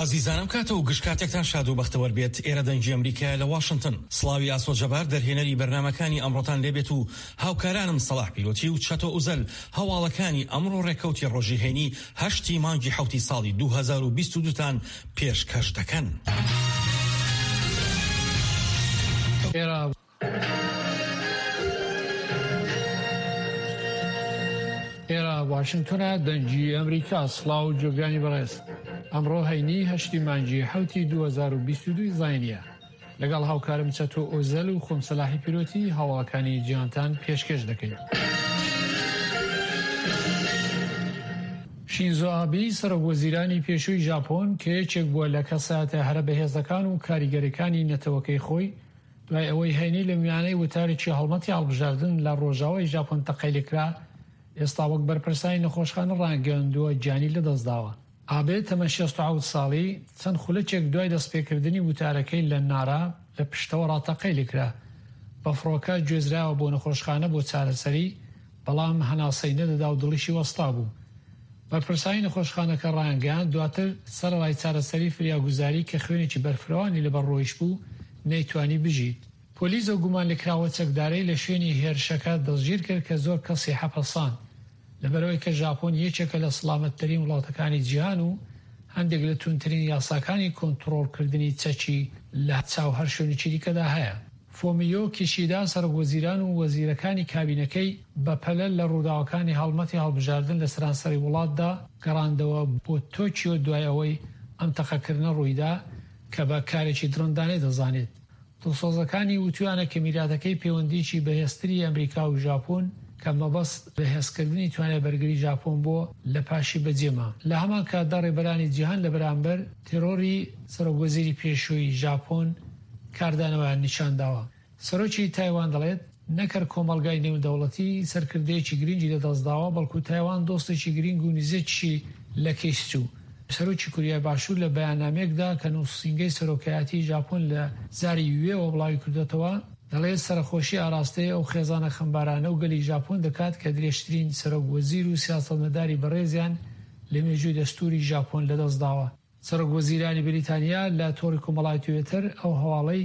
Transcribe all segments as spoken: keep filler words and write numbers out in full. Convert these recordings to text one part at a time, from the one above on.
ئازیزانم کاتە و گشت کاتێکتان شاد و بەختەوەر بێت. ئێرە دەنگی ئەمریکایە لە واشنتن. سڵاوی ئاسۆ جەبار دەرهێنەری بەرنامەکانی ئەمڕۆتان لێبێت و هاوکارانم سەڵاح پیرۆتی و چەتۆ ئوزەل هەواڵەکانی ئەمڕۆ ڕێکەوتی ڕۆژی هەینی هەشتی مانگی حەوتی ساڵی دوو هەزار و بیست و دوو تان پێشکەش دەکەن. ئێرە واشنگتۆنە، دەنگی ئەمریکا. سڵاو و جۆگرانی بەڕێز، ئەمڕۆ هەینی هەشتی مانگی حەوتی دوو هەزار و بیست و دوو زاینیە. لەگەڵ هاوکارم چەتۆ ئۆزەل و خۆم سەلاحی پیرۆتی هەواڵەکانی جیهانتان پێشکەش دەکەین. شینزۆ ئابی سەرۆک وەزیرانی پێشووی ژاپۆن کە یەکێک بووە لە کەسایەتە هەرە بەهێزەکان و کاریگەرەکانی نەتەوەکەی خۆی، دوای ئەوەی هەینی لە میانەی وتارێکی هەڵمەتی هەڵبژاردن لە ڕۆژاوای ژاپۆن تەقەی لێکرا، ئێستا وەک بەرپرسانی نەخۆشخانە ڕاگەیاندووە گیانی لەدەستداوە. ئابێ تەمەن شەست و حەوت ساڵی چەند خولەکێک دوای دەستپێکردنی وتارەکەی لە نارا لە پشتەوە ڕاتەقەی لێکرا. بە فڕۆکە گوێزراوە بۆ نەخۆشخانە بۆ چارەسەری، بەڵام هەناسەی نەدەدا و دڵیشی وەستا بوو. بەرپرسانی نەخۆشخانەکە ڕایانگەیاند دواتر سەرەڕای چارەسەری فریاگوزاری کە خوێنێکی بەرفرەوانی لەبەر ڕۆیشت بوو، نەیتوانی بژیت. پۆلیس ئەو گومانلێکراوە چەکدارەی لە شوێنی هێرشەکە دەستگیر کرد کە زۆر کەسی حەپەساند، لەبەرئەوەی کە ژاپۆن یەکێکە لە سڵامەتترین وڵاتەکانی جیهان و هەندێک لە توندترین یاساکانی کۆنتڕۆڵکردنی چەکی لە چاو هەر شوێنێکی دیکەدا هەیە. فۆمیۆ کیشیدا سەرۆک وەزیران و وەزیرەکانی کابینەکەی بەپەلە لە ڕووداوەکانی هەڵمەتی هەڵبژاردن لە سەرانسەری وڵاتدا گەڕاندەوە بۆ تۆکیۆ دوای ئەوەی ئەم تەقەکردنە ڕوویدا کە بە کارێکی دڕندانەی دەزانێت. دڵسۆزەکانی وتویانە کە میراتەکەی پەیوەندیی بەهێزتری ئەمریکا و ژاپۆن کە مەبەست بەهێزکردنی توانای بەرگری ژاپۆن بووە لە پاشی بەجێما. لە هەمان کاتدا ڕێبەرانی جیهان لە بەرامبەر تێرۆری سەرۆک وەزیری پێشووی ژاپۆن کاردانەوەیان نیشانداوە. سەرۆکی تایوان دەڵێت نەک هەر کۆمەڵگای نێودەوڵەتی سەرکردەیەکی گرنگی لەدەستداوە، بەڵکو تایوان دۆستێکی گرنگ و نزیکیشی لە کەیس چوو. سەرۆکی کوریای باشوور لە بەیاننامەیەکدا کە نووسینگەی سەرۆکایەتیی ژاپۆن لە زاری یوێوە بڵاویکردۆتەوە، دەڵێت سەرەخۆشی ئاراستەی ئەو خێزانە خەمبارانە و گەلی ژاپۆن دەکات کە درێژترین سەرۆک وەزیر و سیاسەتمەداری بەڕێزیان لە مێژووی دەستووری ژاپۆن لەدەستداوە. سەرۆک وەزیرانی بریتانیا لە تۆڕی کۆمەڵایەتی تویتەر ئەو هەواڵەی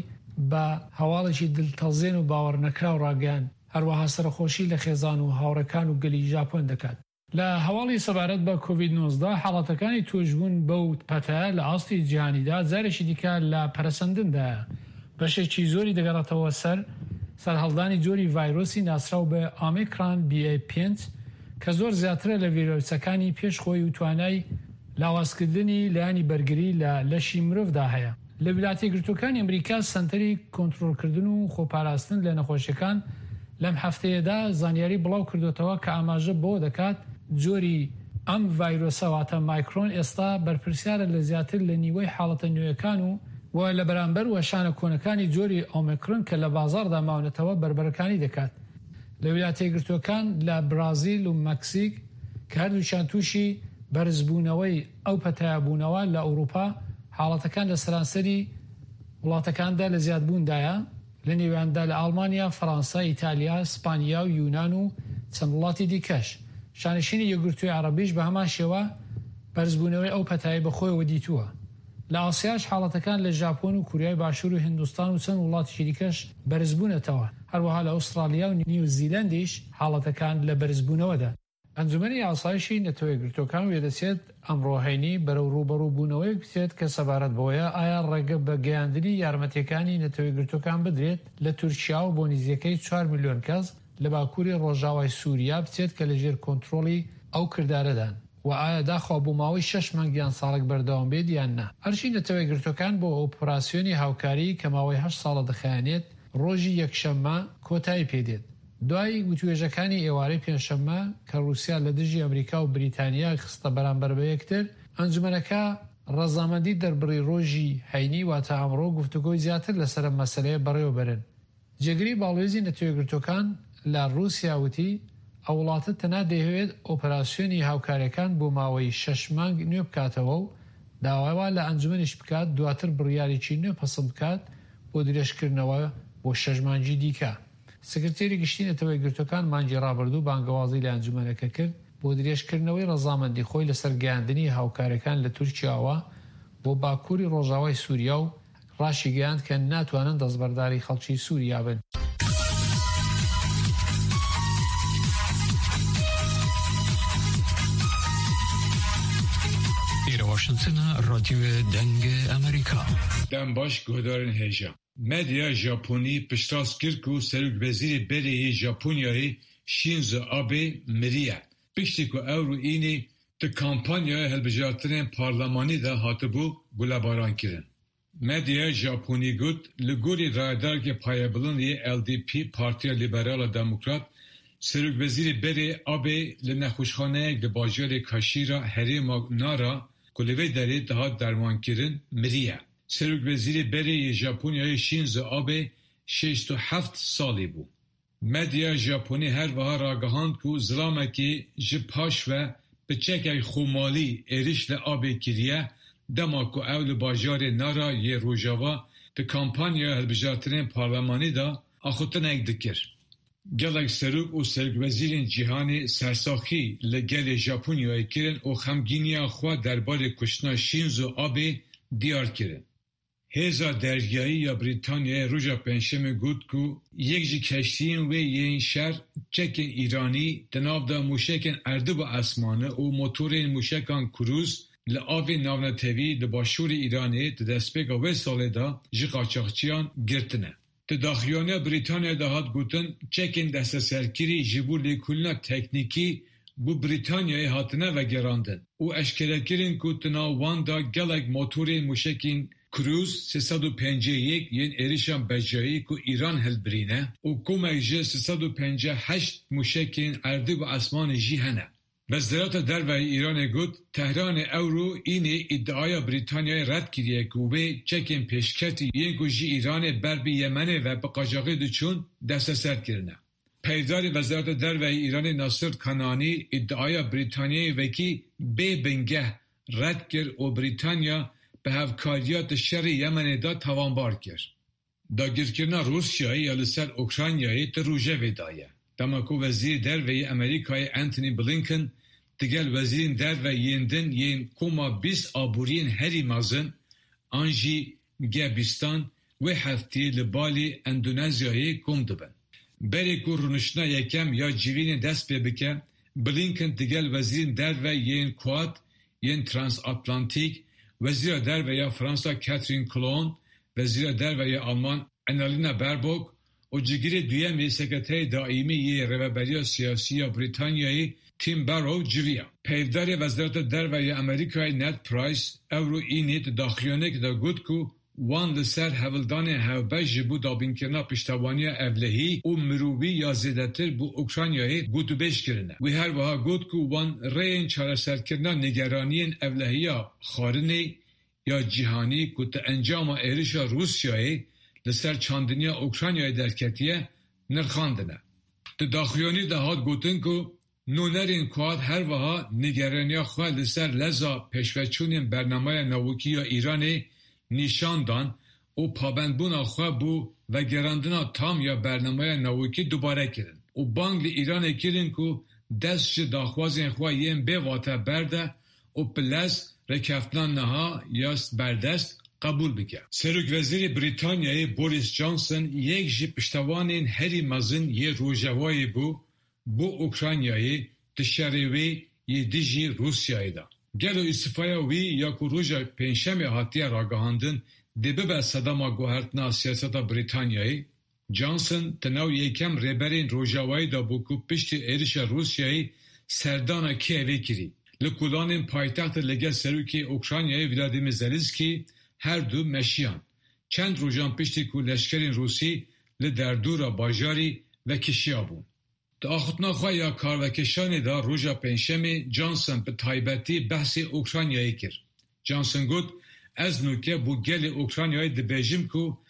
بە هەواڵێکی دڵتەزێن و باوەڕنەکراو ڕاگەیاند، هەروەها سەرەخۆشی لە خێزان و هاوڕێکان و گەلی ژاپۆن دەکات. لە هەواڵی سەبارەت بە کۆڤید نۆزدە، حاڵەتەکانی تووشبوون بەو پەتایە لە ئاستی جیهانیدا جارێکی دیکە لە پەرەسەندندایە، بەشێکی زۆری دەگەڕێتەوە سەر سەرهەڵدانی جۆری ڤایرۆسی ناسراو بە ئۆمیکران بی ئەی پێنج کە زۆر زیاترە لە ڤیرۆسەکانی پێش خۆی و توانای لاوازکردنی لایەنی بەرگری لە لەشی مرۆڤدا هەیە. لە ویلایەتە یەکگرتووەکانی ئەمریکا سەنتەری کۆنترۆڵکردن و خۆپاراستن لە نەخۆشیەکان لەم هەفتەیەدا زانیاری بڵاو کردوێتەوە کە ئاماژە بەوە دەکات جۆری ئەم ڤایرۆسە واتە مایکرۆن ئێستا بەرپرسیارە لە زیاتر لە نیوەی حاڵەتە نوێیەکان و و لە بەرامبەر وەشانە کۆنەکانی جۆری ئۆمیکرۆن کە لە بازاڕدا ماونەتەوە بەربەرەکانی دەکات. لە ویلایەتە یەکگرتووەکان لە برازیل و مەکسیک کە هەردووکیان تووشی بەرزبوونەوەی ئەو پەتایە بوونەوە، لە ئەوروپا حاڵەتەکان لە سەرانسەری وڵاتەکاندا لە زیادبووندایە، لە نێویاندا لە ئەڵمانیا، فەرەنسا، ئیتالیا، سپانیا و یونان و چەند وڵاتی دیکەش. شانشینی یەکگرتووی عەرەبیش بە هەمان شێوە بەرزبوونەوەی ئەو پەتایەی بەخۆیەوە دیتووە. لە ئاسیاش حاڵەتەکان لە ژاپۆن و کوریای باشوور و هیندستان و چەند وڵاتێکی دیکەش بەرزبوونەتەوە، هەروەها لە ئوسترالیا و نیوزیلەندیش حاڵەتەکان لە بەرزبوونەوەدان. ئەنجومەنی ئاسایشی نەتەوە یەکگرتووەکان وێدەچێت ئەمڕۆ هەینی بەرەو ڕووبەڕووبوونەوەیەک بچێت کە سەبارەت بەوەیە ئایا ڕێگە بە گەیاندنی یارمەتییەکانی نەتەوە یەکگرتووەکان بدرێت لە تورکیاوە بۆ نزیکەی چوار ملیۆن کەس لە باکووری ڕۆژاوای سووریا بچێت کە لەژێر کۆنترۆڵی ئەو کردارەدان و ئایا داخوا بۆ ماوەی شەش مانگ یان ساڵێک بەردەوام بێت یان نا. ئەرچی نەتەوە یەکگرتووەکان بۆ ئۆپراسیۆنی هاوکاری کە ماوەی هەشت ساڵە دەخایەنێت ڕۆژی یەکشەممە کۆتایی پێدێت. دوای وتوێژەکانی ئێوارەی پێنجشەممە کە ڕووسیا لە دژی ئەمریکا و بریتانیا خستە بەرامبەر بە یەکتر، ئەنجومەنەکە ڕەزامەندی دەربڕی ڕۆژی هەینی واتە ئەمڕۆ گفتوگۆی زیاتر لەسەر ئەم مەسەلەیە بەڕێوەبەرن. جێگری باڵوێزی نەتەوەیەکگرتووەکان لە ڕووسیا وتی، ئەو وڵاتە تەنها دەیهەوێت ئۆپەراسیۆنی هاوکارییەکان بۆ ماوەی شەش مانگ نوێ بکاتەوە و داوا لە ئەنجومەنیش بکات دواتر بڕیارێکی نوێ پەسەند بکات بۆ درێژکردنەوە بۆ شەش مانگی دیکە. سکرتێری گشتی نەتەوەیەکگرتووەکان مانگی ڕابردوو بانگەوازی لە ئەنجومەنەکە کرد بۆ درێژکردنەوەی ڕەزامەندی خۆی لەسەر گەیاندنی هاوکارییەکان لە تورکیاوە بۆ باکووری ڕۆژاوای سووریا و ڕاشیگەیاند کە ناتوانن دەستبەرداری خەڵکی سووریا بن. واشنگتن رادیو دەنگ ئەمریکا. دەم باش guhdarên hêja. Medya Japonî piştrast kir ku Serokwezîrê berê yê Japonyayê Shinzo Abe miriye. Piştî ku ew înê di kampanyaya hilbijartinên parlemanî de hatibû gulebarankirin. Medyaya Japonî got li gorî rayedareke payebilind yê L D P Partiya Liberal a Demokrat Serokwezîrê berê Abe li nexweşxaneyek li bajarê Kaşîra herêma Nara ku li vê derê dihat dermankirin miriye. Serokwezîrê berê yê Japonyayê Shinzo Abe şêst û heft salî bû. Medya Japonî her wiha ragihand ku zilamekî ji paş ve bi çekek xwemalî êriş li Abe kiriye dema ku ew li bajarê Nara yê Rojava di kampanyaya hilbijartinên parlemanî de axaftinek dikir. Gelek serok û serokwezîrên cîhanê sersaxî li gelê Japonyayê kirin û xemgîniya xwe derbarê kuştina Shinzo Abe diyar kirin. Hêza deryayî ya Brîtanyayê roja Pêncşemê got ku yek ji keştiyên wê yên şer çekên Îranî di nav de mûşekên erdî û esmanî û motorên mûşekan krûz li avên navnetewî li başûrê Îranê di destpêka wê salê de ji qaçaxçiyan girtine. Di daxuyaniya Brîtanyayê de hat gotin çekên desteserkirî ji bo lêkolîna teknîkî bo Brîtanyayê hatine vegerandin û eşkere kirin ku di nav wan de gelek motorên mûşekên Krûz sê sed û pêncî yek yên êrişan bejayî ku Îran hilbirîne û komek ji sê sed û pêncî heşt mûşekên erdî û esmanî jî hene. Wezareta Derve ya Îranê got Tehranê ewro înê îdiaya Brîtanyayê red kiriye ku wê çekên pêşketî yên ku ji Îranê ber bi Yemenê ve bi qaçaxî diçûn desteser kirine. Peyvdarê Wezareta Derve ya Îranê Nasir Kananî îdiaya Brîtanyayê wekî bêbingeh red kir û Brîtanya bi hevkariya di şerê Yemenê de tawanbar kir. Dagirkirina Rûsyayê ya li ser Ukraynayê di rojevê de ye. Dema ku Wezîrê Derve yê Amerîkayê Antony Blinken digel wezîrên derve yên din yên koma bîst aboriyên herî mezin an jî G bîstan wê hefteyê li Balî Endonezyayê kom dibin. Berê ku rûniştina yekem ya civînê dest pê bike, Blinken digel wezîrên derve yên Quad yên Transatlantîk, Wezîra Derve ya Fransa Catherine Colonna, Wezîra Derve ya Alman Annalena Baerbock û cîgirê duyem ê Sekreterê Daîmî yê Rêveberiya Siyasî ya Brîtanyayê Tim Barrow civiya. Peyvdarê Wezareta Derve ya Amerîkayê Ned Price ewro înê di daxuyaniyekê de got ku wan li ser hewldanên hevbeş ji bo dabînkirina piştevaniya ewlehî û mirovî ya zêdetir bo Ukraynayê gotûbêj kirine. Wî her wiha got ku wan rêyên çareserkirina nîgeraniyên ewlehiya xwarinê ya cîhanî ku di encama êrişa Rûsyayê li ser çandiniya Ukraynayê derketiye nirxandine. Di daxuyaniyê de hat gotin ku nûnerên Quad her wiha nîgeraniya xwe li ser leza pêşveçûnên bernameya navokî ya Îranê nîşan dan û pabendbûna xwe bo vegerandina tam ya bernameya navokî dubare kirin û bang li Îranê kirin ku dest ji daxwazên xwe yên bêwate berde û bi lez rêkeftina niha ya berdest qebûl bike. Serokwezîrê Brîtanyayê Boris Johnson yek ji piştevanên herî mezin yê Rojavayê bû bo Ukraynayê di şerê wê yê dijî Rûsyayê de. Gelo îstifaya wî ya ku roja Pêncşemê hatiye ragihandin dê bibe sedema guhertina siyaseta Brîtanyayê? Johnson di nav yekem rêberên Rojavayê de bû ku piştî êrişa Rûsyayê serdana Kievê kirî. Li kolanên paytextê li gel Serokê Ukraynayê Vladimir Zelenskiy her du meşiyan. Çend rojan piştî ku leşkerên Rûsî li derdora bajarî vekişiyabûn. Di axaftina xwe ya karvekişanê de roja Pêncşemê Johnson bi taybetî behsê Ukraynayê kir. Johnson got, ez nûke bo gelê Ukraynayê dibêjim ku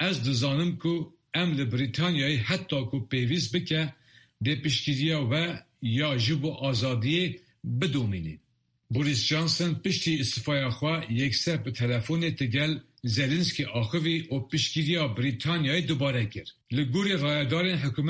ez dizanim ku em li Brîtanyayê heta ku pêwîst bike dê piştgiriya we ya ji bo azadiyê bidomînin. Boris Johnson piştî îstifaya xwe yekser bi telefonê digel Zelenskiy axivî û piştgiriya Brîtanyayê dubare kir. Li gorî rayedarên hikûmetê